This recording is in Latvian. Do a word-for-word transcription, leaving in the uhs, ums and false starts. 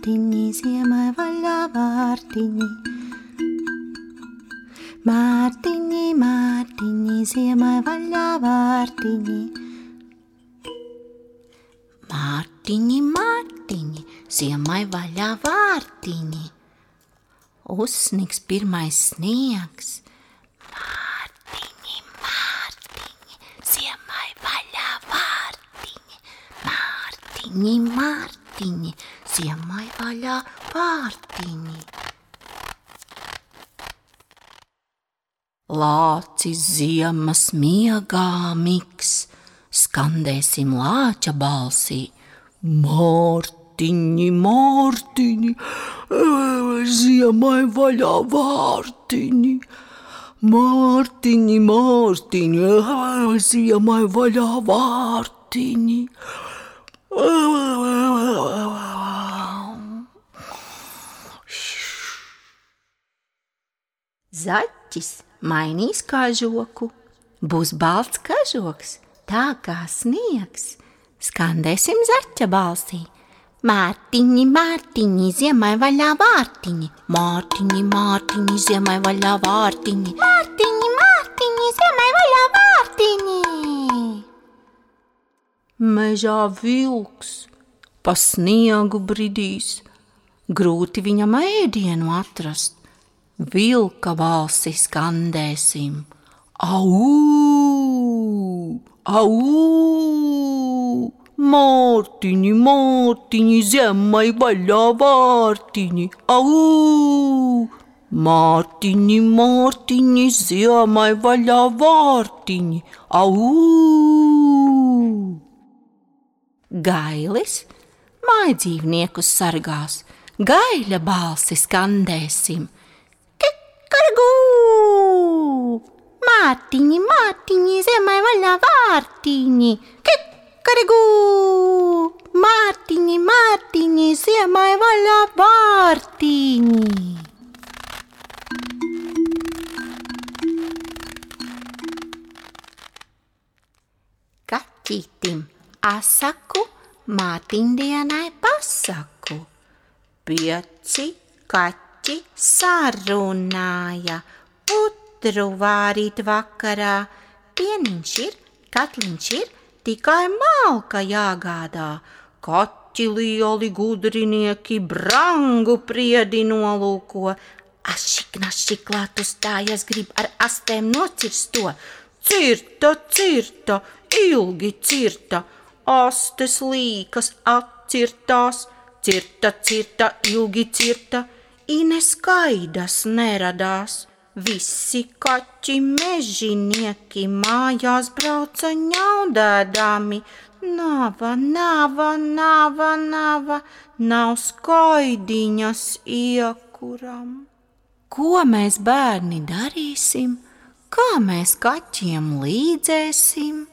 vārtiņi, ziemai vaļā vārtiņi. Mārtiņi, mārtiņi, ziemai vaļā vārtiņi. Mārtiņi, mārtiņi, ziemai vaļā vārtiņi. Uzsnigs pirmais sniegs. Mārtiņi, mārtiņi, ziemai vaļā vārtiņi. Mārtiņi, mārtiņi, ziemai vaļā vārtiņi. Lācis ziemas miegā miks, skandēsim lāča balsī. Mārtiņi, mārtiņi, ziemai vaļā vārtiņi. Mārtiņi, mārtiņi, ziemai vaļā vārtiņi. Zaķis mainīs kažoku, būs balts kažoks, tā kā sniegs. Skandēsim zaķa balsī. Mārtiņi, mārtiņi, ziemai vaļā vārtiņi. Mārtiņi, mārtiņi, ziemai vaļā vārtiņi. Mārtiņi, mārtiņi, ziemai vaļā vārtiņi. Mežā vilks pa sniegu bridīs, grūti viņam ēdienu atrast. Vilka balsi skandēsim. Au! Au! Mārtiņi, mārtiņi, ziemai vaļā vārtiņi. Au! Mārtiņi, mārtiņi, ziemai vaļā vārtiņi. Au! Gailis mājdzīvniekus sargās. Gaļa balsi skandēsim. Kikargū! Mārtiņi, mārtiņi, ziemai vaļā vārtiņi. Kikargū! Mārtiņi, mārtiņi, ziemai vaļā vārtiņi. Kaķītim asaku, mātiņdienai pasaku. Pieci kaķi sarunāja, putru vārīt vakarā. Pieniņš ir, katliņš ir, tikai malka jāgādā. Kaķi lieli gudrinieki brangu priedi nolūko. Ašik, našik klāt uzstājas, grib ar astēm nocirst to. Cirta, cirta, ilgi cirta, astes līkas atcirtās. Cirta, cirta, ilgi cirta, ineskaidas neradās. Visi kaķi mežinieki mājās brauca ņaudēdami. Nava, nava, nava, nava, nav skaidiņas iekuram. Ko mēs bērni darīsim? Kā mēs kaķiem līdzēsim?